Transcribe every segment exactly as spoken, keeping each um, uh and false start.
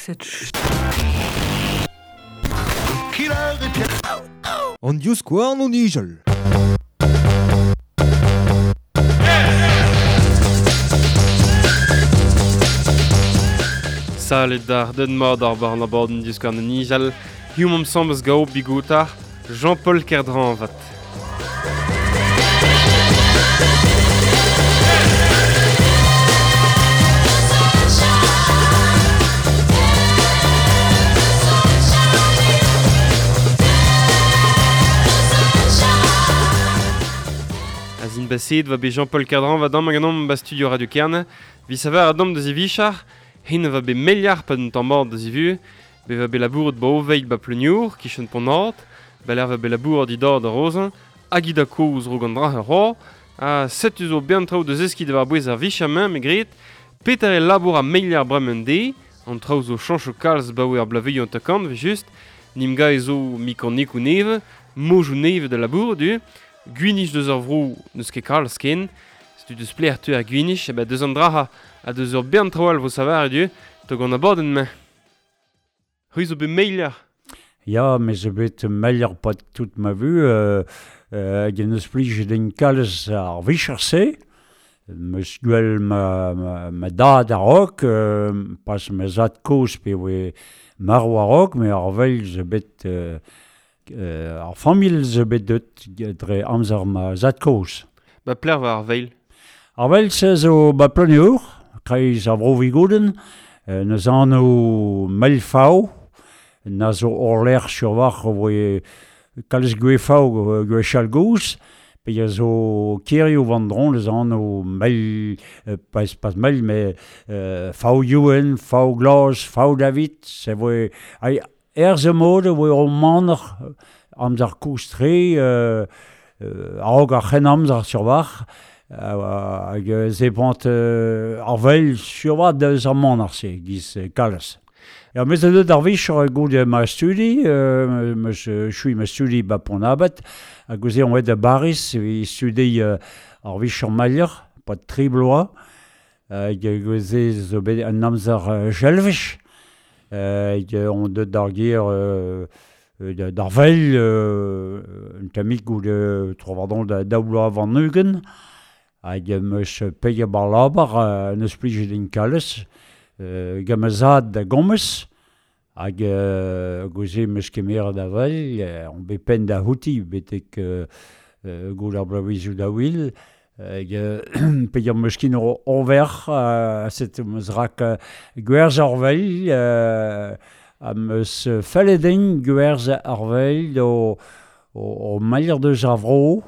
Cette An divskouarn o nijal. Salut d'ar den mord ar bar an abord an divskouarn o nijal. Hiziv omp ensemble gao bigotar Jean-Paul Kerdranvat. Azin baset va be Jean-Paul Kerdran va dam ganom ba studio Radio Kerne. Vi saver a dam deus e vichar, hen va be meliar pa d'un tamm mort deus e vu, be va be labouret ba oveil ba pleuniour, kichen pont ba l'air va be labouret didor da rozen, hag i da koz rog an dra ur ro, ha setu zo bern traoù deus eski de war bouez ar vichar main me gret, peter e labour a meliar bremen de, an traoù zo chancho kalz ba oe ar blaveioù an takant, ve just, nim ga e zo mikanik ou neve, mojou neve de labour du, Gwinich deus ar vro n'eus ket kalz ken, setu deus pler tu ar gwinich, e ba deus an dra ha deus ur bern traoù all vo savar du, tog an abadenn mañ. C'hwi zo bet meilher? Ya, me zo bet meilher pat tout ma vu, euh, euh, hag en eus plij den kalz ar vicher-se, meus gwell ma, ma, ma dad a-raok, euh, pas ma zad kozh pe oe marv a-raok, me ar vel zo bet... Euh, Euh, ar familh zo bet deut dre amzer ma zad kozh. Ba pler war ar veil? Ar veil se zo ba pleuniour, kreiz ar vro Vigouden, euh, neus anv Melfao, na zo orlec'h sur war voe kalz gwefao gwechall goz, pe a zo kirioù vandron neus anv Mel, euh, pas, pas Mel, mais euh, Fao Youen, Fao Glas, Fao David, se voe... Ai, Erz mod oe o manner amzer koustre, euh, euh, a-raok ar c'hen amzer sur war, hag euh, ze pant euh, ar vel sur war deus ar manner se, giz kalz. Ya, meus a deut ar vicher goude ma studi, euh, meus chui ma studi ba pont abad, hag gouze on oet da Baris, e studi euh, ar vicher malier, pa tri bloaz, hag gouze zo bet an amzer euh, jelvech, hag euh, on deut d'ar ger euh, d'ar vel euh, un tammig goude tro-war-dro da daou bloaz van ugent, hag meus peget bar labar euh, neus plijet din kalz, euh, gant ma zad da gomez, hag euh, gouze meus kemeret da vel, euh, on bet penn da houti betek euh, euh, goude ar bloavezioù da wil, hag peget meus kin ur over, euh, set meus rak euh, gwerz ar vel, euh, ha meus fellet din gwerz ar vel o, o, o malier deus ar vro,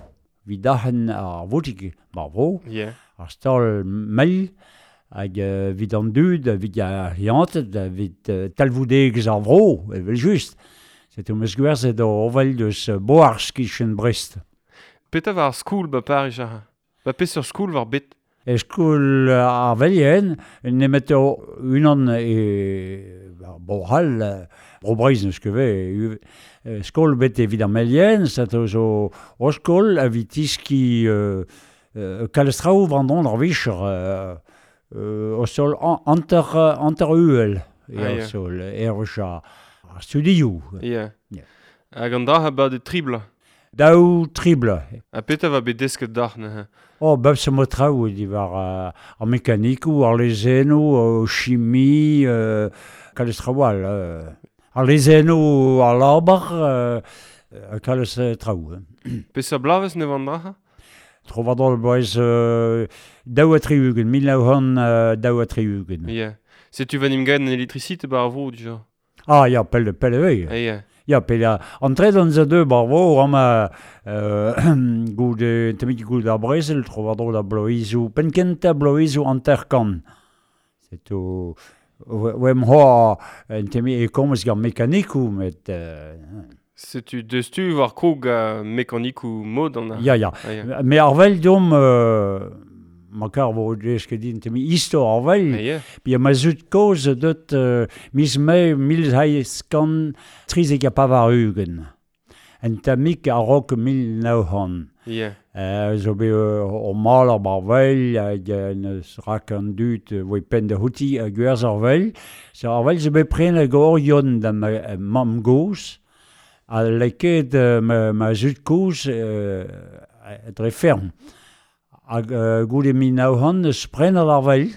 vid ac'hen ar voutik bar vro, yeah. Ar stal mel, hag euh, vid an dud, vid ar lianted, vid euh, talvoudegezh ar vro, evel just. Setu meus gwerzhet o ovel deus Boars kichen Brest. Petra war ar skoul ba Paris ar? Ba peseurt skoul war bet? E skoul ar velien, nemet o unan e ba, Bro-C'hall, Bro Breizh neus ket ve, skol bet evit ar melien, set zo o skol evit tiski euh, euh, kalz traoù war ar vicher, euh, euh, o sol anter, anter uhel, e Ah, ar ya. sol, erwech ar studioù. Yeah. Yeah. Hag an dra ha ba de tribla? Daou tribla. Ha petra va bet desket d'ac'h neuze? Oh, bep se mo traoù diwar euh, ar mekanikoù, ar lezennoù, euh, chimie, euh, kalz traoù all. Euh, ar lezennoù ar labar, euh, kalz traoù. Peseurt bloavezh ne van dra? Tro war dro bloaz euh, daou ha tri-ugent, mil nav c'hant euh, daou ha tri-ugent. Yeah. Setu va nim gaet an elektrisite ba ar vro dija? Ah, ya, pell, pell e Ah, ya. Ya, pe la antret an za deux bar vro ama euh, goude temik goude ar brezel tro war dro da bloizou penkenta bloizou anter-kant. Setu oe m'ho en temi e komz gant mekanikou met euh, Setu deus tu war krog a mekanikou mod an ar. Ya, ya. Ah, ya. Me ar vel dom euh, ma kar vo deus ket din temi istor ar vel. Ah, ya. Pi ma zud kozh deut euh, miz mae mil seizh kant trizek ha pevar-ugent. En tammig a-raok mil nav c'hant. Yeah. Euh, zo bet o mal ar bar vel, hag neus rak an dud voe pen da houti a gwerz ar vel. So ar vel zo bet pren hag orion da ma mamm goz, a leket ma, ma zud koz euh, dre ferm. Hag euh, goude min naouhan eus pren ar vel,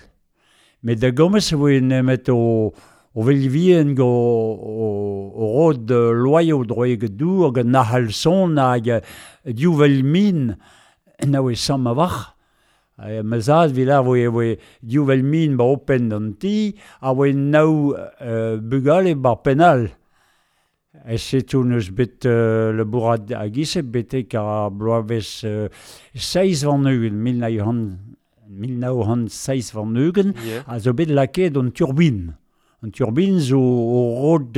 met da gomez voe nemet o o vel vien go o, o rod loaio droeg dour hag an ahal son hag diou vel min na oe samm a vac'h. Ma zad vil ar voe voe diou vel min ba open d'an ti a oe naou euh, bugale bar penal. E setou neus bet euh, le bourad a gise betek ar bloavez euh, seiz van-ugent, mil nav c'hant seiz van-ugent, yeah. A zo bet laket an turbine. An turbine zo o rod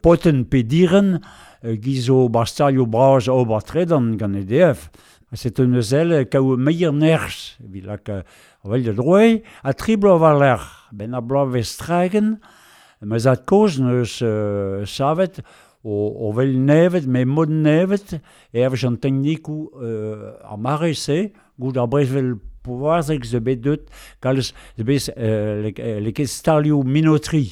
poten pe diren gizo bastalio braz ober tredan gant E D F. C'est un ezel kaou meir nerz, evit lak vel da droe, a tri bloaz war lerc'h, ben ar bloaz vez tragen, ma zad koz neus euh, savet o, o vel nevet, me mod nevet, e ervez an teknikou euh, ar mare se, gout ar brezvel pouvarzek ze bet deut, kalz ze bet euh, leket stalioù minotri,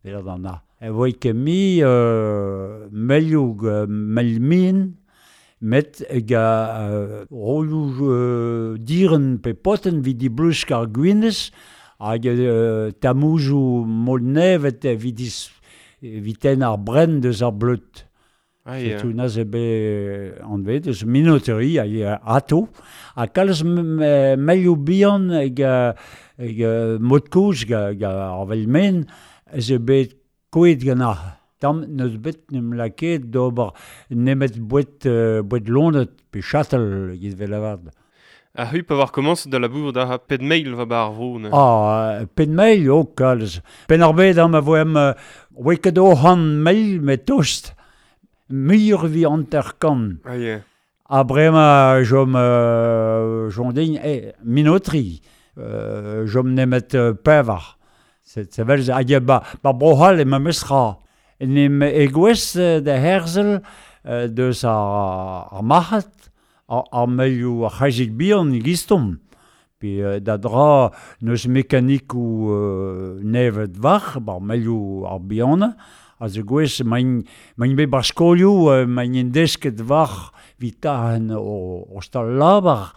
vel an na. E voe ket mi euh, melioù mel min, met ga euh, rolioù euh, diren pe poten vid di blusk ar gwinez, hag euh, tamoujou mod nevet vid dis viten ar bren deus ar bleut. Ah, yeah. Setu naz e bet anvet eus minoteri hag ato. Ha kalz melioù bihan hag, hag mod koz ga, ga ar vel men ez e bet koet gant ar. Tamm neus bet nem laket d'ober nemet bouet, bouet lonet pe chatel giz vel avad. A hu pa war komañs da labour da ped mail va bar vro ne. Ah, ped mail, oh kalz. Pen ar bet am a voem oe ket o han mail met tost. Muioc'h vi hanter kant. Ah, yeah. Ha brema jom euh, jom din eh, minotri, euh, jom nemet euh, pevar. C'est c'est vel hag ba, ba brohal e ma mesra. Nem egwez da herzel euh, deus ar, ar marc'had, ar, ar melioù ar c'hazik bihan gistom. Pe euh, da dra neus mekanikou euh, nevet var, bar melioù ar bihan, a ze gwez main, main bet bar skolioù, euh, main en desket var vitahen o, o stal labar,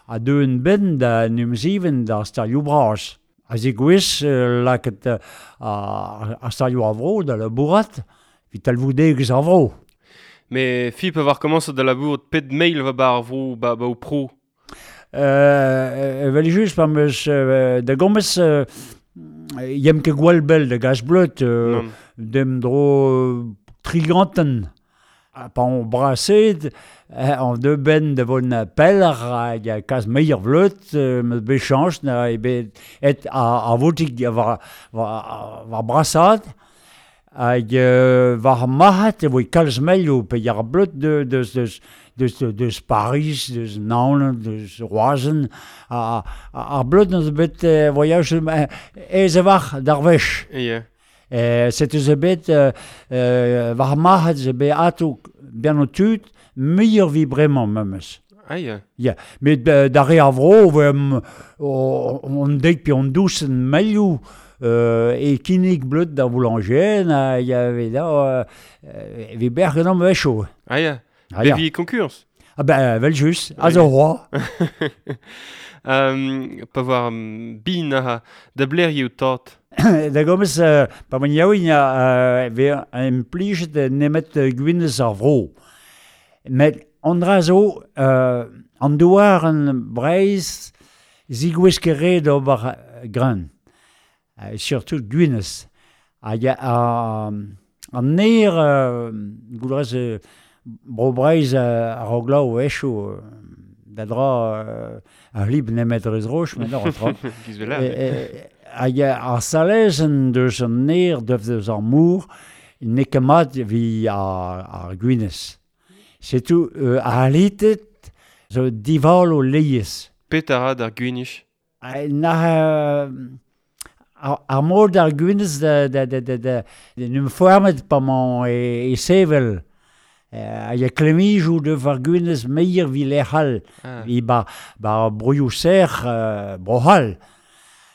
a deuen ben da numziven da stalioù braz. A ze gwez euh, laket euh, a, a stalioù a vro da labourat, vit talvoudegez ar vro. Me fi pa war komañs da labourat ped mail va bar vro ba, ba o pro? Euh, evel just pa meus euh, da gomez euh, yem ket gwall bell da gas bleut euh, dem dro triganten. Ha pa on braset, an deux ben de von peller hag a kaz meier vleut, meus bet chanch na e bet et a, a votik war, war, war brasad, hag euh, war marc'had e voe kalz melioù pe yar bleut de, deus, deus, deus, deus Paris, deus Naoned, deus Roazen, a, a, ar bleut neus bet euh, voyage ez e war d'ar wech. Yeah. Eh, setu ze bet euh, euh, war marc'had ze bet ato bien o tud, muioc'h vi bremañ memes. Ah, yeah. Yeah. Met euh, da re ar vro, voem, on dek pe on dousen melioù, euh, e kinnig bleut da boulanger, na y avait da, euh, vi bergen am wecho. Ah, yeah. Ah, yeah. Bevi konkurz. Ah ben, vel just, a Ah, zo roi. Um, pa war um, bin a da blerioù tat. Da gomez, euh, pa man yaouin a ve implijet nemet gwinez ar vro. Met an dra zo, euh, an douar an Breizh zigouez ket re d'ober gran. Euh, surtout gwinez. Hag a, an ner, euh, goudrez, euh, bro Breizh ar roglaou echo, euh, da dra euh, ar lib nemet rez roch, met ar tra. Giz vel ar. Hag ar salezen deus an ner deus deus ar mour, n'eo ket mat vi ar, ar gwinez. Setu euh, ar halitet zo dival o leiez. Pet a ra d'ar gwinich? Na euh, ar, ar mod ar gwinez da, da, da, da, da, da num foarmet pa man e, e sevel. A ya klemijou de var gwinez meier vi lec'hal, ah. Vi ba, ba broioù ser euh, brohal.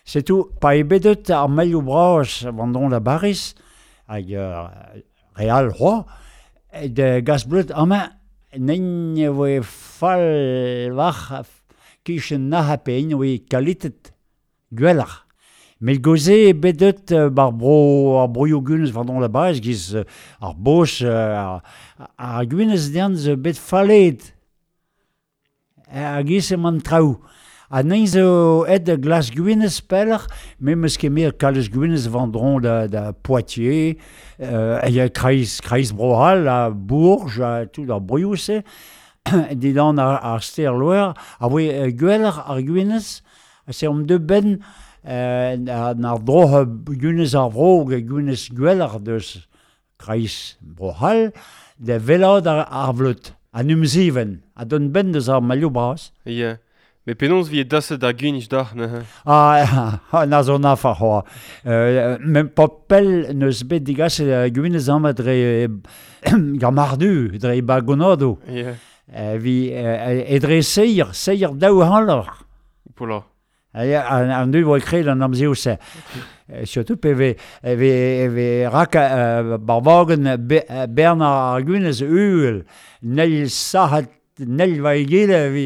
Setou, pa e bedet ar melioù bras vandon da Baris, hag euh, real roi, de gas bleut amañ nen voe fall war kichen naha pe en oe kalitet gwelloc'h. Met goze e bedet bar bro ar broioù gwinez vandon da Baris giz ar bos ar, ar gwinez dean zo bet fallet ar giz emañ traoù. Ha nen zo et glas gwinez peller, me meus ket mer kalez gwinez vandron da, da Poitiers, euh, a kreiz, kreiz Brohal, a Bourges, a tout ar broioù se, didan ar, ar ster loer, a voe gweller ar gwinez, se om de ben euh, ar droch gwinez ar vro, gwinez gweller deus kreiz Brohal, da velad ar, ar vleut, an umziven, a don ben deus ar malioù bras. Yeah. Me penaos vi e daset ar gwinj d'ar neuze? Ah, na zo nafa c'hoa. Euh, men pa pell neus bet digaset uh, gwinez amañ dre gamardu, dre bagonado. Yeah. Euh, vi, euh, e dre seier, seier daou hanlor. Pola. An, an du voe kred an amzeo se. Surtout pe ve, ve, ve rak uh, barvagen be, bern ar gwinez uhel, nel sahat nel va egile vi,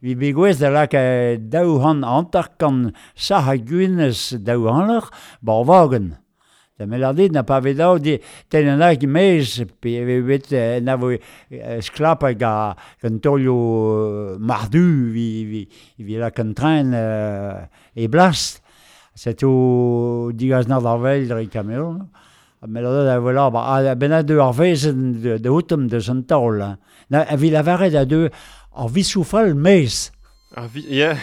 vi begouez da lak daou han antar kan saha gwinez daou hanler barvagen. Da melardit na pa ve dao di ten an hag mez pe ve bet na vo sklap hag a gant tolio mardu vi, vi, vi lak an train euh, e blast. Setou digaz nar d'ar vel dre Cameron. Melardit a voilà, ba, a ben a deu ar vezen de, de outem deus an taol. Na, a vi lavaret a deu ar visoufal mez. Ar vi... Yeah.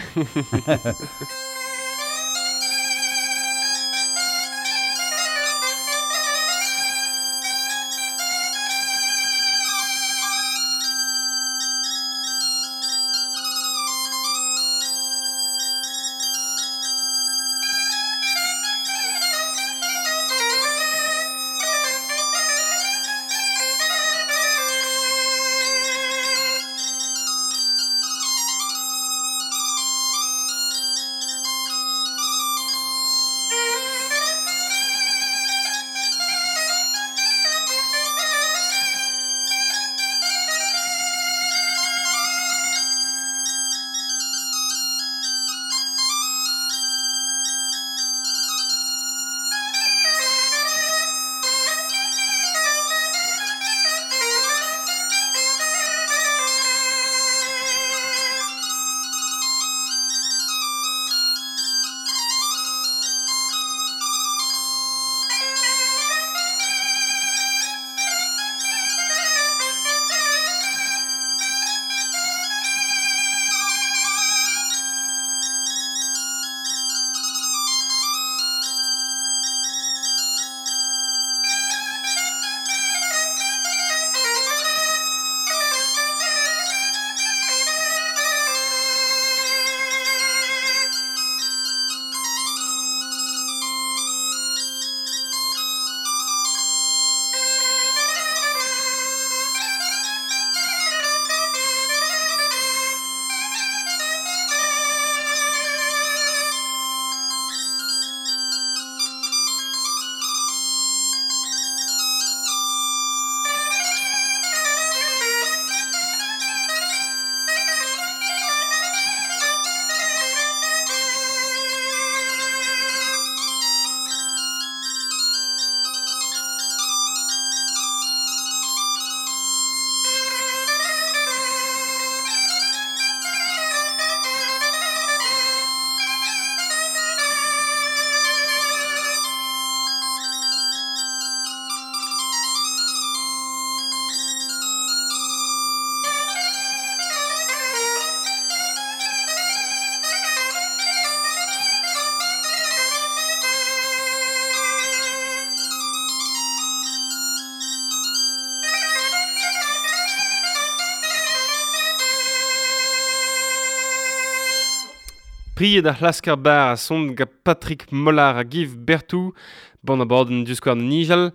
Pried ar c'hlasker bar a son gant Patrick Mollard a Giv Bertou, ban a borden du skouarn nijal.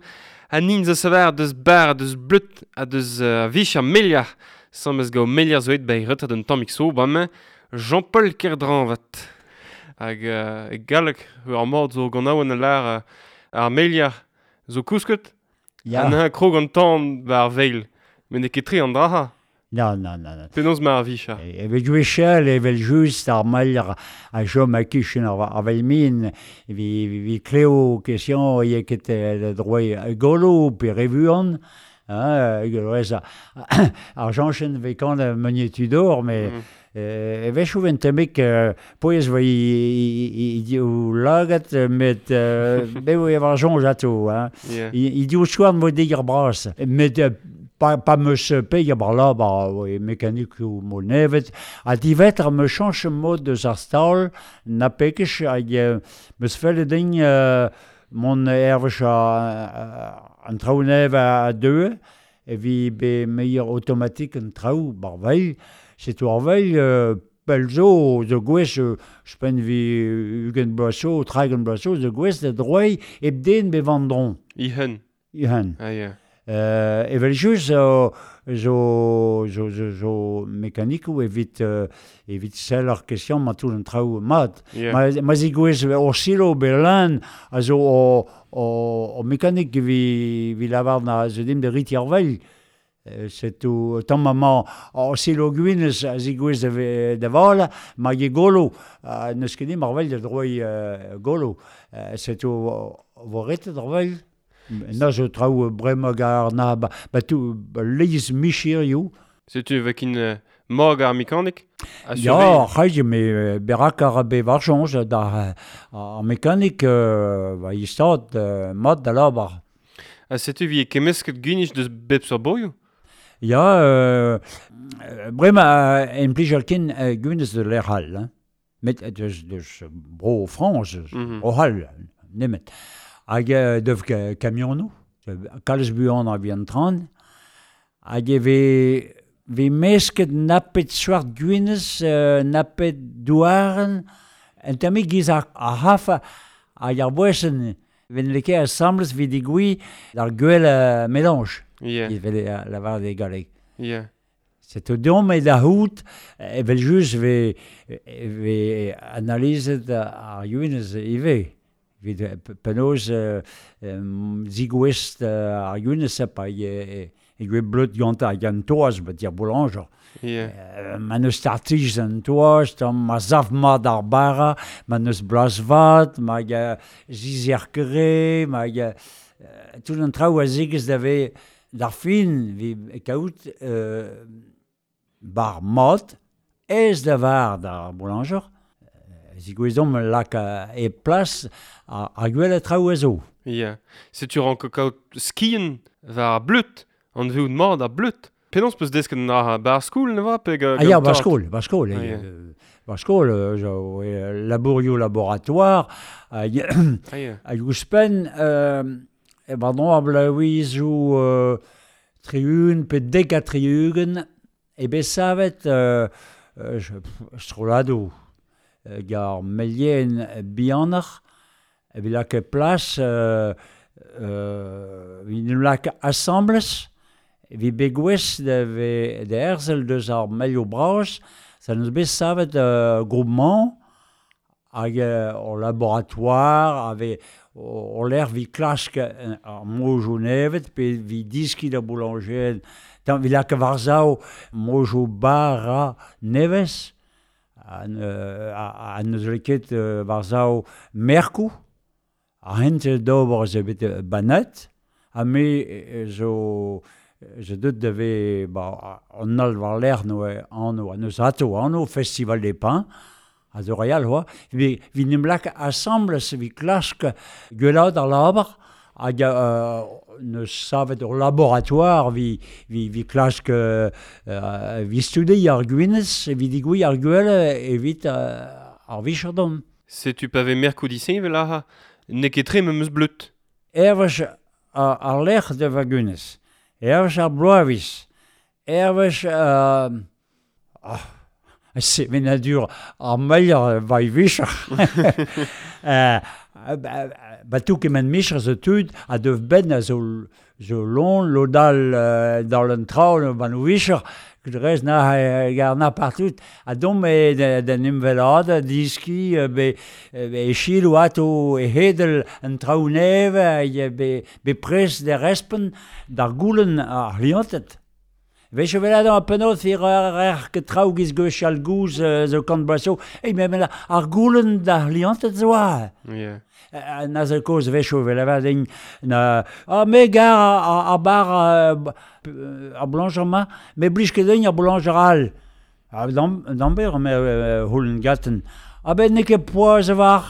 Ha nin zo savar deus bar, deus bleut, ha deus uh, vich ar meliar. Samez gao meliar zo et ba retard un tammik so, bam Jean-Paul Kerdran vat. Hag uh, e galleg, ur mord zo gant aouen a lar uh, ar meliar zo kousket. Ya. An un krog an tan ba ar veil. Met n'eo ket tre an draha. Non, non, non, non. Penaos ma ar vicha. Evel gwechall, evel just ar maliar a chom a kichen ar, ar vel min, vi, vi kleo question e ket droit golo pe revuan, hein, rez ar janchen ve kan meunier tudor, mais mm. euh, evech ou ventemek poez va i diou lagat, met bevo e var jonj ato, hein. Yeah. I, i diou chouan vo deger bras, met pa, pa meus peg bar la bar oui, mekanik ou mo nevet, ha divetr me chanch mod deus ar stal, na pekech hag meus felle din euh, mon ervech a, an traoù nev a deux, e vi be meilleur automatique an traoù bar veil, c'est ar veil euh, pel zo, zo gwez, euh, spen vi ugen bloaso, tragen bloaso, zo gwez da droei eb den be vandron. Ihan. Ihan. Ah, yeah. Euh, evel just zo, zo, zo, zo, zo mekanikou evit, euh, evit sell ar question ma tout an traoù mat. Yeah. Ma, ma zi gwez o silo be lan a zo o, o, o mekanik vi, vi lavar na zo dim de rit ar veil. C'est tout tamm ma o silo gwinez a zi gwez da, da val, ma ge golo, uh, neus ket dim ar veil da droi uh, golo. Uh, c'est tout vo retet ar veil. Na zo traoù bremañ gar na ba, ba tou ba leiz michirioù. Setu vekin uh, morg ar mekanik? Ya, c'haij, me berak ar be war soñj da ar mekanik euh, ba istad euh, mat da labar. Ha setu vi e kemesket gwinich deus bep sur boioù? Ya, euh, bremañ euh, en plij al ken euh, gwinez de l'air hall. Hein. Met deus, deus bro Frañs, mm -hmm. bro hall, nemet. Hag euh, dev kamionoù, kalz buan a vian tran, hag e ve, ve mesket napet soart gwinez, euh, napet douaren, en tammik giz ar, ar haf hag ar boesen ven leke asambles vid digui d'ar gwell euh, mélange. Yeah. Il vel lavar de galleg. Yeah. C'est au dom e da hout, evel just ve, ve analizet ar gwinez ive. Vid penaos euh, zigouest ar gwinez pa e, e gwe bleut gant ar gant toaz, bat dir boulanger. Yeah. Euh, ma neus tartij an toaz, tam ma zav mat ar bara, ma neus blas vat, ma ga zizer kere, ma ga... Euh, tout an traoù a zigez da ve d'ar fin, vi kaout euh, bar mat, ez da var d'ar boulanger, Zigouezomp lak e plas ar, ar gwell a traoù a zo. Yeah. Setu ran kaout skien war ar bleut, an veout mat ar bleut. Penaos peus desket an ar bar skol, ne va? Pe ga, ah ya, bar skol, bar skol. Ah, yeah. Bar skol, zo, e, labourioù laboratoire, hag ah, yeah. hag ouzhpenn, euh, e pardon, ar blaouizoù euh, tri-ugent pe dek ha tri-ugent, e bet savet euh, euh, strolladoù. Gar melien bihanoc'h, evit lak plas, euh, euh, evit lak asambles, evit begouez da, ve, da erzel deus ar melio bras, ça neus bet savet euh, groupement, hag euh, o laboratoire, ave o, o l'air vi klask ar mojo nevet, pe vi diski da boulanger, tan vi lak varzao mojo bara nevez, an, euh, a, a neus leket euh, varzao merkou, a hent d'ober ze bet banet, ha me zo, zo deut da ve, ba, an al war l'air no anno, a neus ato anno, Festival des Pins, a zo real hoa, vi, vi nem lak asambles, vi klask gwellad ar labar, hag euh, neus savet ur laboratoire vi, vi, vi klask euh, vi studi ar gwinez, vi digouï ar gwell evit euh, ar vicherdom. Setu pa ve merkou diseñ vel ar n'eo ket tre meus bleut. Ervech ar, ar lec'h de va gwinez, ervech ar bloaviz, ervech... Euh, oh, Sevenadur ar meier vai vicher. euh, ba tou kement micher zo tud a dev ben a zo, zo lon, lodal euh, dans l'un traun ban o vicher, rez na gar na partout. A dom e den imvelad, diski, be, be chilou ato e hedel an traoù neve, be, be pres de respen d'ar goulen ar liantet. Vech o velad an penot fir ar ket traoù giz gwech al gouz zo kant blaso. Ei, me mela ar goulen d'ar liantet zo a. Yeah. Na zo koz vech o velavad en na a me gar a, a bar a boulanger ma, me blij ket din ar boulanger all. A dam damber me houlen gaten. A ben ne ket poaz war,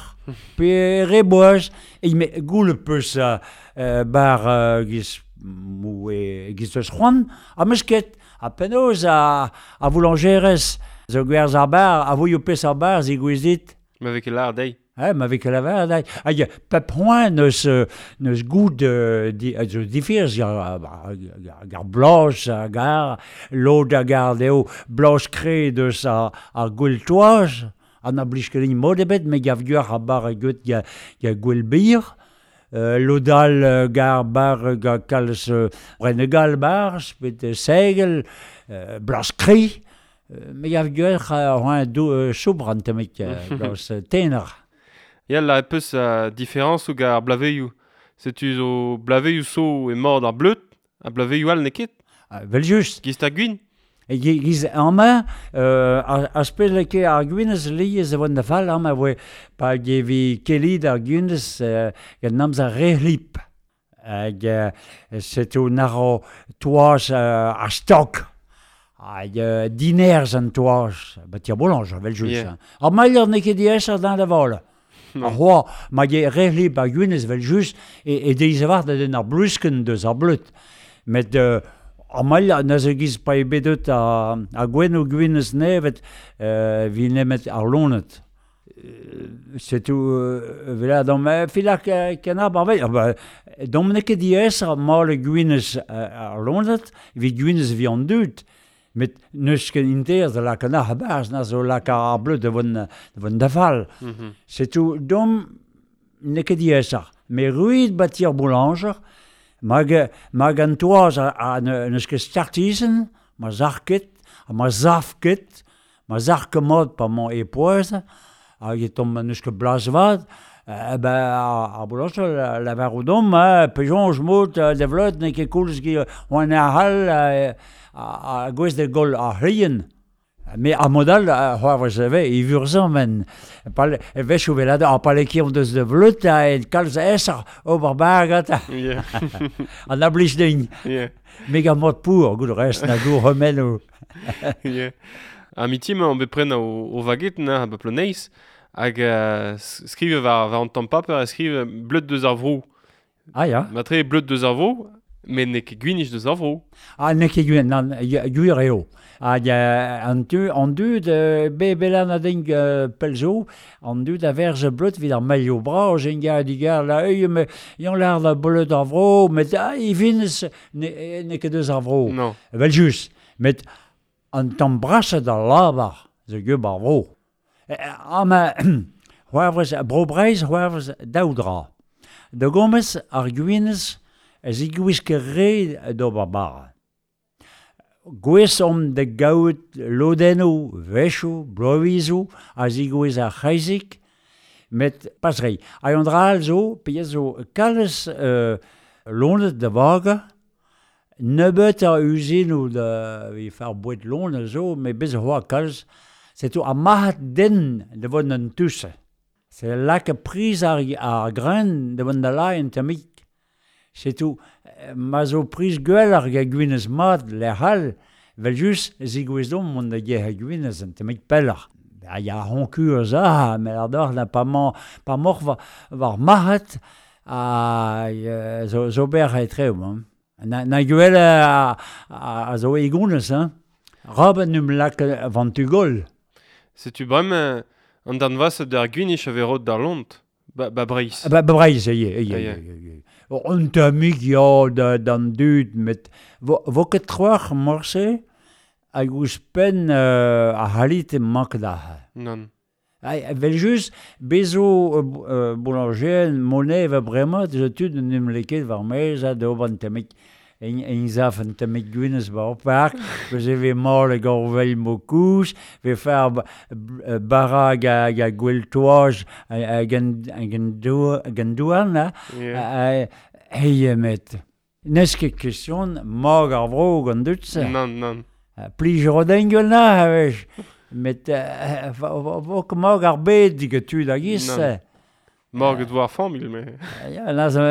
pe re boaz, e me goule peus bar giz mou e giz eus c'hoant, a meus ket, a penaos a, a boulangerez zo gwerz ar bar, a voio pes ar bar zi gouezit. Ma vez ket lar dei. Eh, ma vez ket lavar dei. Hag pep c'hoant neus, neus goud di, zo difirz gar, gar blanche a gar, lod a gar deo blanche kre deus ar, ar gwell toaz, an a blij ket mod ebet, me gav gwar a bar a gwet ga, ga gwell bir. Euh, lodal euh, gar bar ga kalz euh, renegal bar, spet segel, euh, blas kri, euh, me gav gwar a do euh, soubr an temek, blas tener. Ya la peus a différence ou gar blaveioù. Setu zo blaveioù so e mord ar bleut, a blaveioù all neket. Ah, vel just. Giz ta gwin. E giz amañ, euh, ar spez leke ar gwinez liez e vont da fall amañ voe pa gevi kelid ar gwinez euh, gant namz ar rehlip. Hag euh, setu naro toaz euh, ar stok. Hag euh, dinerz an toaz. Ba tir bolanj, vel just. Yeah. Ar mailher n'eo ket diaes ar dan da vol. Ar c'hoa, ma ge rehlip ar gwinez vel just e, e deiz a war da den ar blusken deus ar bleut. Met euh, Ar mailh na zo giz pa e bedet a, a gwen o gwinez nevet euh, vi nemet ar lonet. Euh, setu euh, vela dom filak kenab ar vei. Ba, dom n'eo ket diaes ar mal gwinez ar lonet, vi gwinez vi an dud. Met neus ket inter da lak an ar barz na zo lak ar bleut da vont, da vont da fall. Mm-hmm. Setu dom n'eo ket diaes ar. Me ruid batir boulanger, Mag, mag an toaz a, a neus ket startizen, ma zar ket, ha ma zaf ket, ma zar ket mod pa mañ e poaz, hag e tom neus ket blas vad, eh ben ar, ar boulanger la var o dom, eh, pejonj mod de vleut n'eo ket koulz gi oan ar hall a, a, a gwez de gol ar c'hlien. Me ar modal, c'hoarvez eve, e vurzan men. Pal, e vech o velad ar palekion deus de vleut a en kalz eser ober bargat. Yeah. An ablij din. Yeah. Me gant mod pour, gout rest na gour remen o. Yeah. A miti ma an bet pren o, o vaget na ba ploneiz hag uh, skrive war, war an tamm paper a skrive bleut deus ar vro. Ah ya. Matre bleut deus ar vro, met n'eo ket gwinich deus ar vro. Ah, n'eo ket gwin, nan, gwir eo. Hag an tu, an dud, be belan a ding pelzo, an dud a verz bleut vid ar mailho bras, en gar digar la œil, me yon lar da bleut ar vro, met ah, i vinez n'eo ket deus ar vro. Non. Vel just, met an tamm braset ar lavar, zo gub ar vro. Ama, c'hoarvez, bro Breiz, c'hoarvez daou dra. Da gomez ar gwinez, ez i gwis ket re d'ober bara. Gwez om da gaout lodennoù, vechoù, bloavezioù, a zigouez ar c'hreizik, met pas rei. Hag an dra all zo, pe zo kalz euh, lonet da vaga, nebeut ar uzinoù da vi far bouet lonet zo, met bez c'hoa kalz, setu ar marc'had den da vont an touse. Se lak priz ar, ar gren da vont da la en tamik. Setu, ma zo priz gwell ar ga gwinez mat lec'h all, vel just zigouez dom mont da ge ha gwinez an temik pelloc'h. A ya honku eus a, met ar doc'h na pa man, pa moc'h war, war marc'had a zo, zo ber e treo. Hein. Na, na gwell a, a, a zo e gounez, hein. Raben num lak van tu gol. Setu brem an darn vas d'ar gwinich a verot d'ar lont. Ba, ba Breiz. Ba, ba Breiz, ye, ye, ye, ye. Un tammig ya da, d'an dud, met vo, vo ket troac'h morse, Hag ouzhpenn euh, ar c'halite mank da. Nann. Ai, vel just, bezo euh, boulanger, monnaie va bremañ, deus tud en em leket war maez ha d'ober an tammig en, en zaf an tammig gwinez ba ar park, peus e vez mall hag ar vel mo kouz, ve far bara hag a, hag a gwell toaz hag an, hag an douan, ha, Yeah. hei met. N'eus ket question mag ar vro gant dud se. Nann, nann. Plij roden gwell na, a wech. Met vo ket mag ar bed diget tud hag is. Nann. Mag et war familh, me. Ya, na zo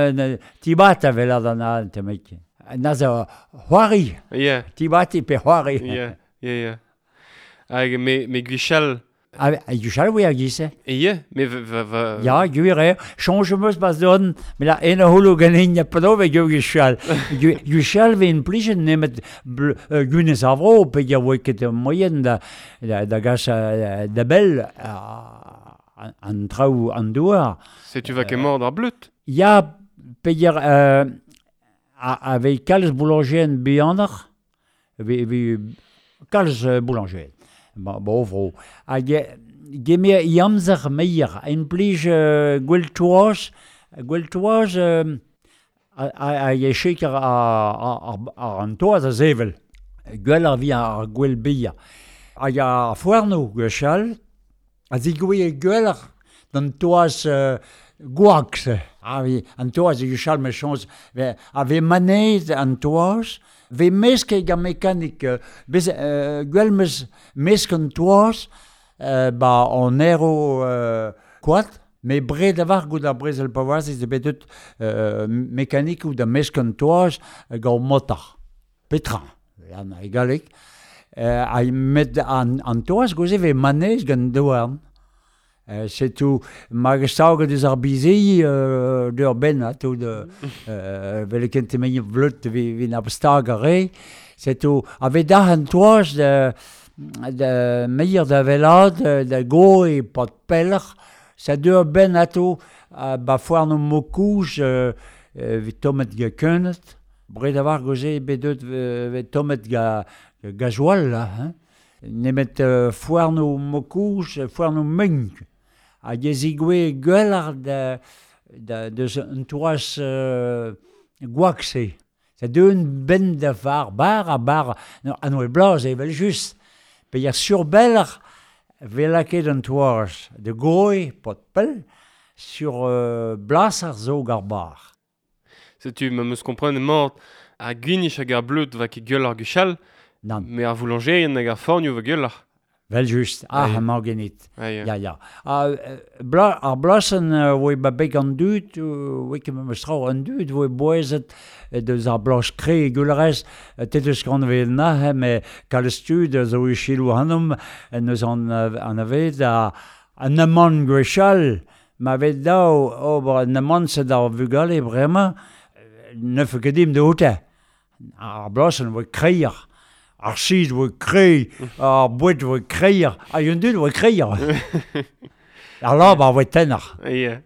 tibat a vel an an temek. Na zo c'hoari. Yeah. Tibati pe c'hoari. Yeah, yeah, yeah. Hag me, me gwechall. Ah, gwechall oa hag is. E yeah, me va... va, va... Ya, gwir eo. Soñj am eus bas don, me la en a holo ganin a pado ve gwechall. Gwechall ve en plijet nemet gwinez ar vro, pe ya oa ket moyen da, da, da gas da bell an traoù an douar. Setu va ket mort ar bleut? Ya, pe ya... Euh, a, avec kalz boulanger bihanoc'h, ve, ve, kalz boulanger. Ba, bo vro. Hag gemer i amzer meier, en plij euh, gwell toaz, gwell toaz euh, hag e cheker ar, ar an toaz a zevel. Gwell ar vi ar gwell beia. Hag ar foarno gwechall, a zigouie gwell ar d'an toaz euh, gwak. Ah oui, an toaz e gwechall me chañs, a ve manez an toaz, ve mesk hag ar mekanik, bez, euh, gwell meus mesk an toaz, euh, ba an ero euh, koad, me bred avar gout ar brezel pavoaz ez bet deut euh, mekanik ou da mesk an toaz gant motar. Petra, an e galleg. Euh, a met an, an toaz goze ve manez gant douarn. Euh, setu mag staget eus ar bizei euh, d'ur ben, ha, tout de euh, vel kent emañ vleut vi, vi na stag ar re. Setu a ve da an toaz de, de meier da velad, da go e pat peller, sa d'ur ben ato uh, ba foarn o mokouj euh, euh, vi tomet ga keunet. Bred avar goze bet deut ve tomet ga, ga gazoal, là, hein. Nemet euh, foarn o mokouj, foarn o meunk. Hag ez igwe gwell ar da, da, deus un toaz euh, gwak se. Sa deun ben da var bar a bar an oe blaz evel just. Pe ya surbeller ve laket an toaz de goe pot pell sur euh, blas ar zo gar bar. Setu ma meus kompren mort a gwinich hag ar bleut va ket gwell ar gwechall, Nann. me ar voulangerien hag ar fornioù va gwell ar. Vel just, ah, ah, ma genit. Ah, ya. Ya, ya. Ah, bla, ar blasen oe ba beg an dud, oe ket meus trao an dud, oe boezet deus ar blas kre e gullerez, tet eus gant vel na, me kalz tud zo e chilou hanom, neus an, an aved a, an amant gwechall, ma vet dao ober an amant se d'ar vugale bremañ, neuf ket dim de hote. Ar blasen oe kreier. Ar sid oe krei, ar boued oe kreier, hag un dud oe kreier. Ar lab ar oe tenner. Yeah.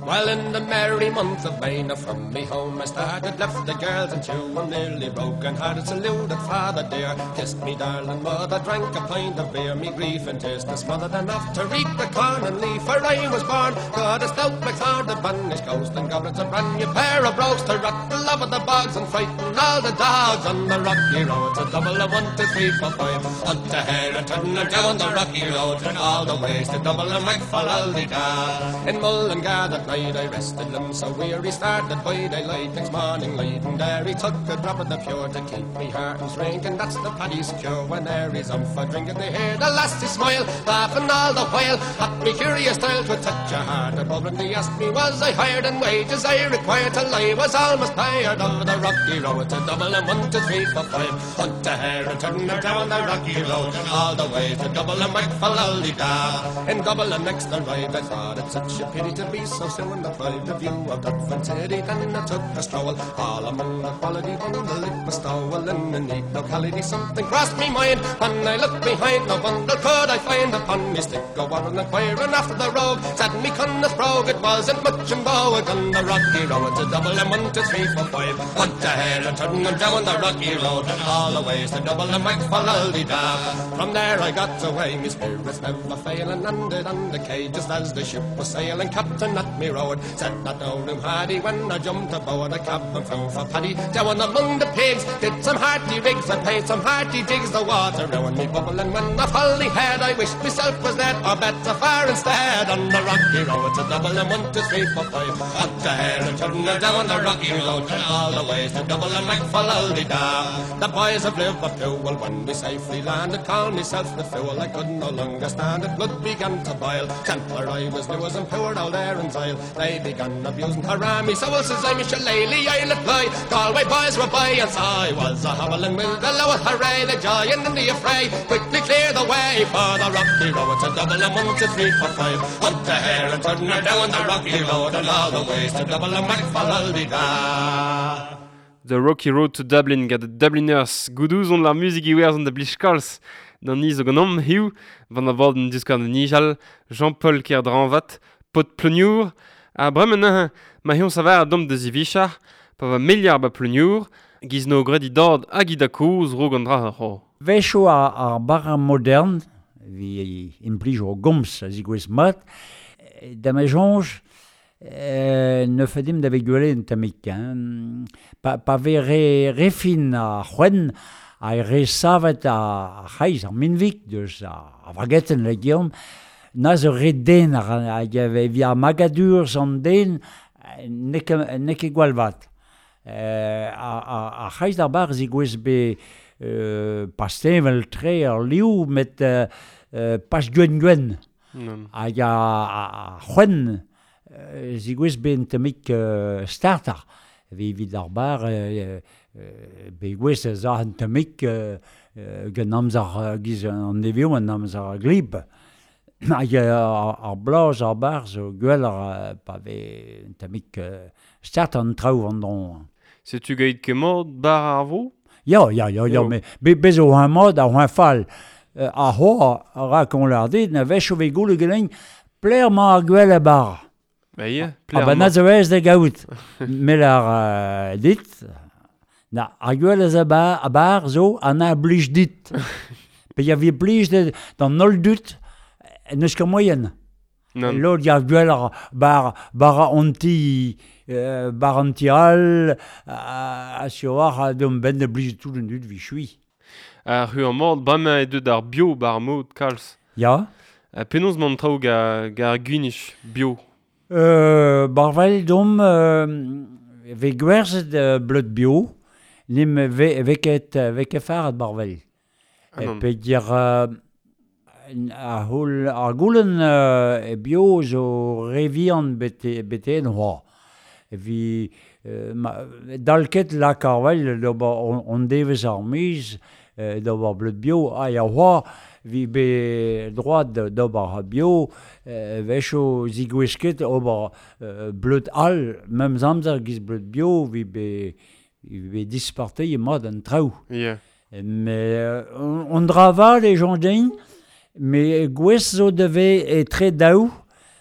Well, in the merry month of May, now from me home I started, left the girls and two, I'm nearly broken hearted, saluted father dear, kissed me darling mother, drank a pint of beer, me grief and tears to smother, then off to reap the corn and leaf, where I was born, got a stout MacFarlane, the banished ghost, and goblins, a brand new pair of brogues to rock the love of the bogs and frighten all the dogs on the rocky road, to double a one, two, three, four, five, up to here and turn her down the rocky road, and all the ways to double a McFallaldy-da. In Mullingar that night I rested them so weary, started by daylight next morning light, and there he took a drop of the pure to keep me heart and drink, and that's the paddy's cure when there is um for drinking. They hear the lassie smile, laughing all the while at me curious style to touch a heart. Above him they asked me was I hired, and wages I required, till I was almost tired of the rocky road to double and one, two, three, four, five, hunt a hare and turn her down the rocky road, and all the way to double and McFallaldy-da. In double and next the ride I thought it such a pity to be so soon and deprived the view of that fine city. Then I took a stroll all among the quality bundle. It was stowel in a neat locality. Something crossed me mind when I looked behind. No bundle could I find upon me stick. Go on inquiring after the rogue. Said me Connors brogue, it wasn't much in vogue on the rocky road to Dublin. One, two, three, four, five. What the hell, and turning them down the rocky road, and all the ways to Dublin, went for da. From there I got away, me spirits never failing, landed on the quay just as the ship was sailing. Captain at me road said not no room had he when I jumped aboard a cab and flew for Paddy. Down among the pigs, did some hearty rigs, I paid some hearty jigs, the water round me bubbling when I folly head. I wished myself was dead or better far instead. On the rocky road to Dublin, one, two, three, four, five. Up the hill and turning down the rocky road, and all the ways to Dublin, went for da. The boys of Liverpool, when we safely landed, called myself the fool. I could no longer stand it, blood began to boil. Gentler I was new as and poor out there in Zyle. They began abusing hurrah me, so says I'm shillelagh, I'll apply. Galway boys were by, and so I was a howling with the low hooray, the joy and the affray. Quickly clear the way for the rocky road to Dublin, one, two, three, four, five. Up the hair and turn her down the rocky road, and all the ways to Dublin, went for da. The Rocky Road to Dublin gant the Dubliners. Goudouz on la muzik iwerz an da blij kalz. D'an iz o ganom hiu, van a vord an diskar de nijal, Jean-Paul Kerdranvat, pot Pleniour. A bremen neuze, ma hion savar a dom da zivichar, pa va meliar ba Pleniour, giz no gred i dord hag i da koz rog an dra ar c'ho. Vecho ar, ar bar modern, vi implij o gomz a zigouez mat, da me jonj, Euh, ne fedim da vegule un tammik, hein. Pa, pa ve re, re fin a c'hwen, a re savet a c'haiz ar minvik, deus a, a vageten le geom, na zo re den ar, hag e vi ar magadur an den, ne ket, ne ket gwall vat. Euh, a, a, a c'haiz d'ar bar zigouez be euh, pastevel tre ar liou, met euh, euh, pas gwen gwen. Non. Hag a, a, a c'hwen, euh, zigouez be un tammik euh, starter. Vi evit ar bar, euh, euh, be gwez a un tammik euh, euh, gant amzer euh, giz an nevio an amzer ar glib. Hag ar, ar blaz ar bar zo gwell ar pa ve un tammik euh, starter an traoù an dron. Setu gaid ket mod bar ar vo? Ya, ya, ya, ya, Yo. me be, bez o un mod a un fall. Euh, ar ho a ra kon lar dit, na vech o ve goule geleñ, pler ma ar gwell a bar. Ba ie, Ah pler ba ma. na zo ez da gaout. Mel ar euh, dit, na ar gwell a za bar, a bar zo an a blij dit. Pe ya vi blij de, d'an holl dut, n'eus ket moyen. Non. Lod ya gwell ar bar, bar an ti, euh, bar an ti all, a, a sur war a dom ben da blij tout an dut vi chui. Ar hu an mod, bremañ e deut ar bio bar mod kalz. Ya. A penaos man traoù ga, ga ar gwinich bio. Euh, barvel dom euh, ve gwerzhet euh, bleud bio, nim ve, ve ket, ve ket faret barvel. Ah, E non. pe dir euh, ar houl, ar goulenn euh, e bio zo re vihan bete, bete en hoa. E vi euh, ma, dalket lak ar vel d'ober on, on devez ar miz euh, d'ober bleud bio, ha ya hoa vi be droit d'ober bio, euh, vecho zigouez ket ober euh, bleud all, memes amzer giz bleud bio, vi be, vi be disparte e mod an traoù. Yeah. Mais euh, on, on drava les gens din, mais gwez zo deve e tre daou,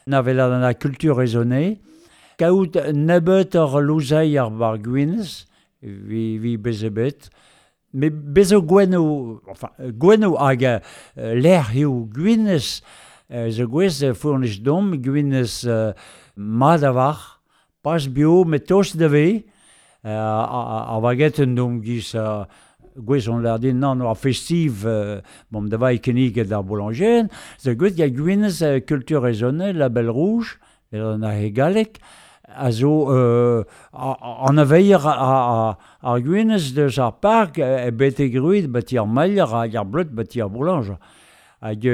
na vel an la culture raisonnée, kaout nebeut ar louzei ar bar gwinez, vi, vi bezebet, mais bezo gwenno, enfin, gwenno hag euh, l'air eo gwinez, euh, zo gwez euh, fournis dom, gwinez euh, mad a war, pas bio, met tost deve, euh, ar, ar vageten dom giz euh, gwez on lar din nan ar festiv euh, bon da vai kenniget ar boulanger, zo gwez ya gwinez euh, culture raisonnée, label rouge, an a hegalek, a zo euh, an a veir a, a, ar gwinez deus ar park e bete gruit bati ar mailler hag ar bleud bati ar boulanger. Hag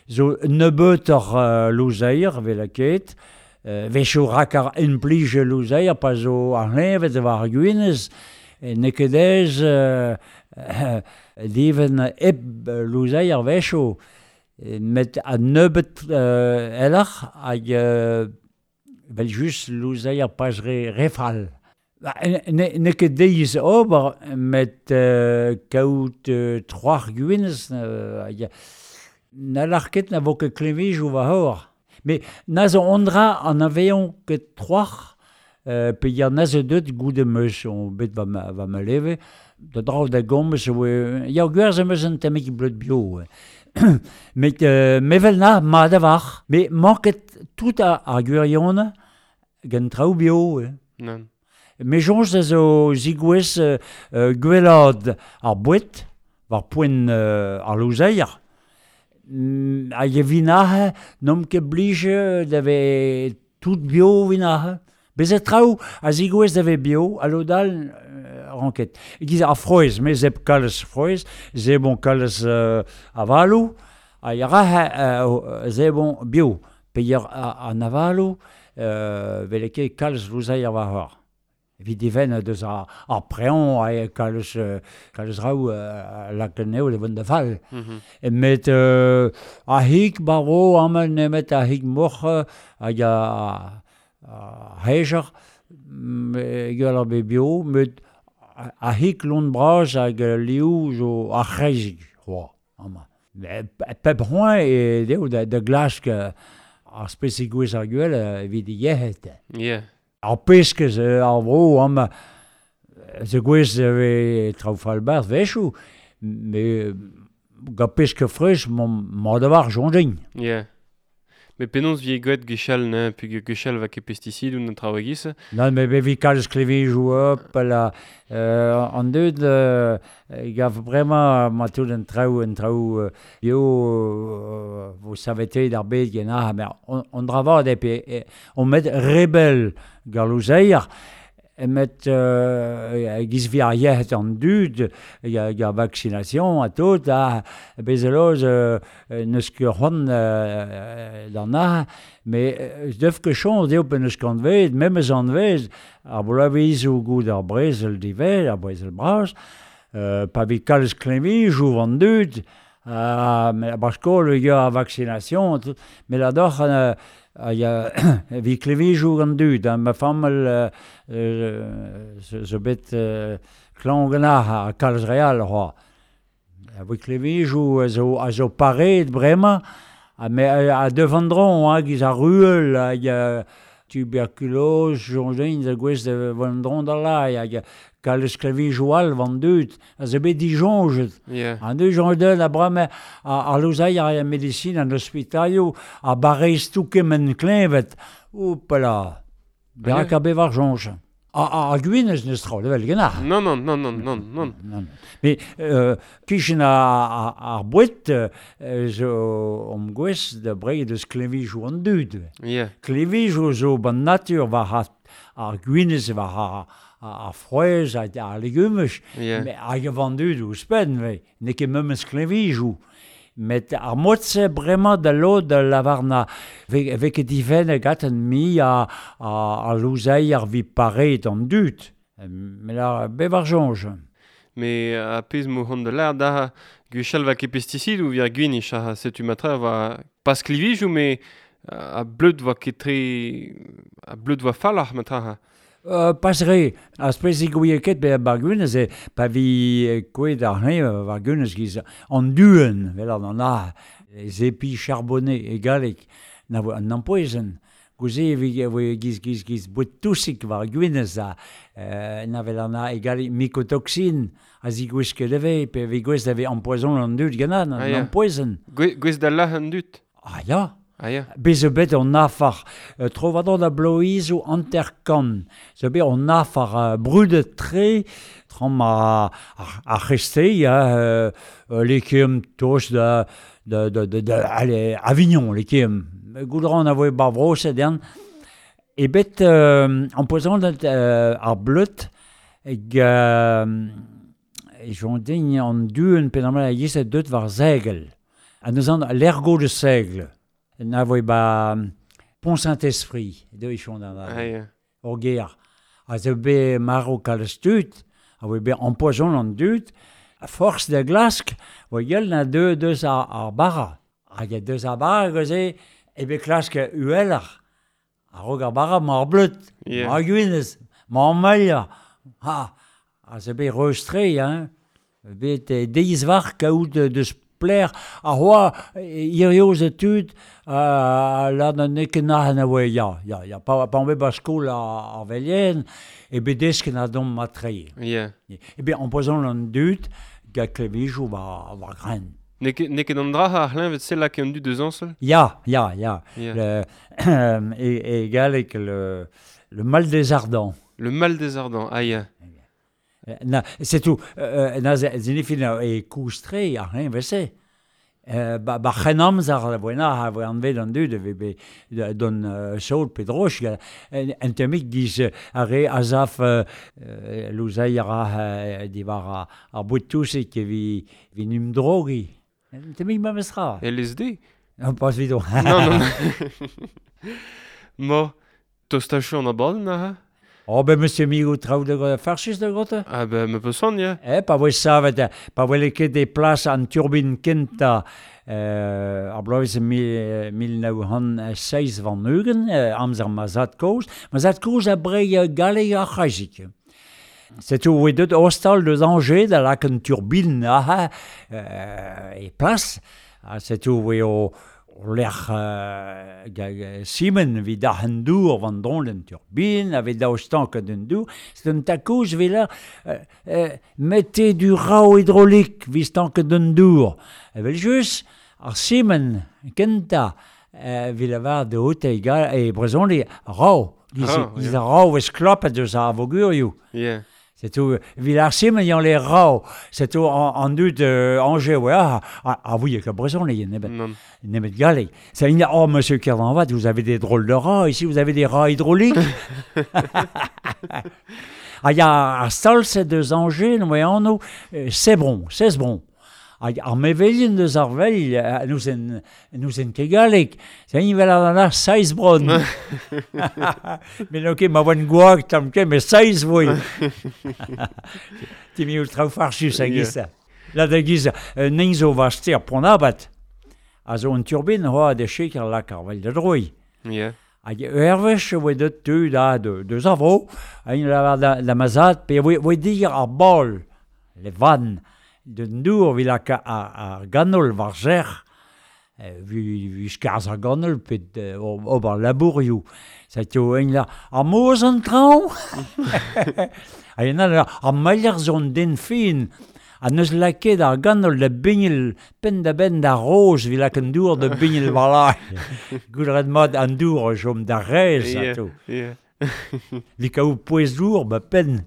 zo nebeut ar euh, louzeir vel a ket, euh, vecho rak ar enplij louzeir pa zo ar hlevet war ar gwinez, e ne ket ez euh, euh, diven eb louzeir vecho, met a nebeut euh, elach hag euh, Vel just louzeier pas re, re fall. Ba, ne, ne ket deiz ober, met euh, kaout euh, troar gwinez, euh, ya, na lar ket na vo ket klevejou va hor. Me na zo ondra an aveon ket troar, euh, pe ya na zo deut goude meus on bet va ma, va ma leve, da draoù da gomz, oe, ya gwerz am eus an tammig bleud bio. Met euh, mevel na, ma da var. Me manket tout a, ar gwirion gant traoù bio. Eh. Nan. Me soñj da zo zigouez euh, euh, gwellad ar boued, war poent euh, ar louzeier. Mm, hag e vinahe, n'om ket blije da ve tout bio vinahe. Bezet traoù a zigouez da ve bio, a lodal euh, ranket. Giz ar frouezh, me zeb kalz frouezh, zebon kalz euh, avalou, ha yarahe euh, zebon bio. Pe yar an avalou, euh, veleke kalz louzeier war hor. Evit even deus ar, ar preon a kalz, kalz raou euh, lakeneo de vont da fall. Mm -hmm. Met euh, a hig baro amañ nemet a hig moc'h hag a, a hejer gwell ar be bio, met a hig lont bras hag liou zo ar c'hreizig c'hoa amañ. Pep c'hoañ e deo da, da glask ar spesig gwez ar gwell evit yec'hed. Yeah. Ar peskez ar vro amañ ze gwez ve traoù fall barz vechou, me gant peske fresh ma da war soñjin. Yeah. Me penaos vi gwet gwechall, ne, peg gwechall va ket pestisid ou an traoù a-giz. Non, me bevi kalz klevejou op, la, euh, an deud, euh, gav bremañ ma tout an traoù, an traoù euh, bio, euh, vo savete d'ar bed gen ah, mer on, on dra vad epe, e, on met rebel gar louzeier, met euh, giz vi ar yec'hed an dud, ya, ya vaccination a tout, ha bezeloz euh, neus ket c'hoant euh, d'an ah, me deuf ket choñs deo pe neus kant ved, memes an vez, ar bloavezioù goud ar brezel divez, ar brezel bras, euh, pa vi kalz klevejou an dud, euh, me ar skol ya ar vaccination, tout, me la doc'h euh, a ya vi klevejou gant dud, ha ma fammel euh, euh, zo bet euh, klañv ganac'h ar kalz real c'hoa. A vi klevejou a zo, a zo pareet bremañ, ha me a, a devandron, ha giz ar ruel, hag a tuberculose, soñjin da gwez da vandron da lai, hag kalz klevejou all van dud, a zo bet dijoñjet. Yeah. An dud joñjet a bremañ a, a louzeier a medicine an ospitalioù a barrez tout kement kleñvet. Oupala, berak a bevar soñj. A, a, a gwinez neus traoù, level genac'h. Non, non, non, non, non, non. Non. Me euh, kichen a, a, ar boued euh, zo om gwez da brei deus klevejou an dud. Yeah. Klevejou zo ban natur war ar, ar gwinez, war ar, ar, ar frouezh, ar, ar legumaj. Yeah. Me hag a van dud ouzhpenn, ve, n'eo ket memes klevejou. Met ar mod-se bremañ da lod da lavar na ve, ve ket divenn gaten mi a, a, a louzeier vi pareet an dud. Me la bevar soñj. Me a pezh mo c'hoant da lar da gwechall va ket pestisid ou vi ar gwinich ha setu matra va pas klevejou me a bleud va ket tre a bleud va falloc'h matra ha. Euh, pas re, ar spesig ouie ket be ar gwinez e pa vi kouet ar c'hnev war gwinez giz an duen, vel an a, les épis charbonnés e galleg, na vo an ampoezen. Gouze e vi e giz giz giz bouet tousik war gwinez a, euh, na vel an a e galleg mycotoxine, a zigouez ket eve, pe vi gwez da ve ampoezon an dud ganan, an Ah, ya. ampoezen. Gwe, gwez da lah an dud. Ah ya. Ah ya. Bez zo bet an afar euh, trovador da bloiz o hanter-kant. Zo bet an afar euh, brudet tre, tram a, ar, ar c'hestei, ya, euh, euh, lekeum tos da, da, da, da, da allez, Avignon, lekeum. Goudran a voe bar vroset ern. E bet euh, empoisonnet euh, ar bleut hag euh, e joñ an duen penamal a yez deut war zegel. A neus an l'ergot de seigle. Na voe ba Pont Saint-Esprit, de ichon da Ah ya. ur ger. A zo bet maro kalz tud, a voe bet empoisonnet an dud, a force da glask, voe gell na deu deus ar, ar bara. Hag a deus ar bara geuze, e bet klask uheller. A-raok ar bara, ma ar bleud, Yeah. ma ar gwinez, ma ar mailha. Ha, ha se bet reustre, hein. Bet eh, deiz war kaout eh, deus pler, a hoa irioz e tud, uh, la na n'eo ket nac'hen a oe, ya, ya, ya, pa, pa on bet ba skol ar, ar velien, e bet desken a dom ma trei. Yeah. E bet empoisonn an dud, ga klevijou war, war gren. N'eo ket, n'eo ket an dra ar c'hleñved se lak an dud deus añsel? Ya, ya, ya. Yeah. Le, e, e galleg le, le mal des ardents. Le mal des ardents, ah ya. Na, c'est tout. Euh, na, zinifin e koustre ar c'hleñved vese. Euh, ba, ba c'hen amzer a voe na, a voe anvet an dud, e ve be don euh, saout pe droch, en, en temik giz euh, ar re azaf euh, euh, louzeier a euh, diwar ar, ar bouet tousik e vi, vi num drogi. En temik ma mestra. L S D? Non, pas vidon. Non, non. Mo, tostachoù an abadenn ha? Oh, ben, monsieur Migo, traoù de farchis de grotte? Ah ben, me peus son, ya. Eh, pa voe savet, pa voe leket e plas an turbin kenta euh, ar bloavezh mil, mil nav c'hant seizh warn-ugent, euh, amzer ma zad kozh. Ma zad kozh a brei galleg ar c'hreizik. Setu oe deut ostal deus Angers da lak an turbin aha, euh, e plas. Ha setu oe o o lec'h euh, ga, ga, simen vid ar an dour van dron den turbine, avait daou stank den dour. C'est un takouz vid là, euh, euh, mettez du rao hydraulique vid stank den dour. Evel just, ar simen, kenta, euh, vid avar de haute e, ga, e brezhoneg, rao. Giz, Rao, giz ya. ar rao eus klopet deus ar vogurioù. Yeah. C'est tout. Villars Simen, y en les rao. C'est tout en, en dud euh, Angers, ouais, ah, ah, ah oui, que brezhoneg, nemet, Non. nemet galleg. Ça il oh, monsieur Kerdanvat, vous avez des drôles de rats ici, vous avez des rats hydrauliques. Ah, y a ar stalse deus Angers, no oa anv, euh, Sebron, Sesbron. Hag ar mevelien deus ar veil, euh, nous en, nous en ket galleg. C'est un vel ar ar seiz bron. Mais ok, ma oan gwag tamm ket, mais seiz voe. Ti mi ultra farchus a giz. La da giz, euh, nin zo va ster pont abat. A zo un turbine hoa de chik ar lak ar vel da droi. Yeah. Hag ervech oe deut tud a de, deus ar vro, a un lavar da, da mazad, pe oe, oe dir ar bol, le van, den dour vi lak ar, ar ganol war zer, vi, vi skarz ar ganol pe euh, ober labourioù. Ça tio ein la ar moz an traoñ. Ha en all ar mailher zo an den fin. Ha neus laket ar ganol da bignel penn da benn da roz vi lak an dour da bignel war la. Goulret mat an dour jom da rez Yeah, a to. yeah. Vi kaout pouez dour ba penn.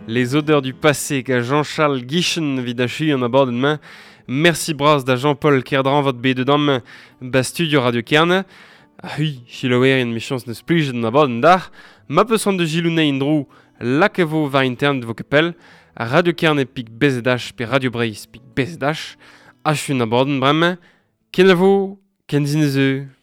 Les odeurs du passé qu'a Jean-Charles Guichen vid achu an abadenn main. Merci bras da Jean-Paul Kerdran vat bet dam ba studio Radio Kerne. Hui, chiloerien me chans neus plijet an abadenn dar. Ma peus c'hoant de gilounei en dro lak e vo war internet vo kepel. Radio Kerne pik B Z H pe Radio Breizh pik B Z H. Achu an abadenn bremañ. Ken a vo, ken zinezeu.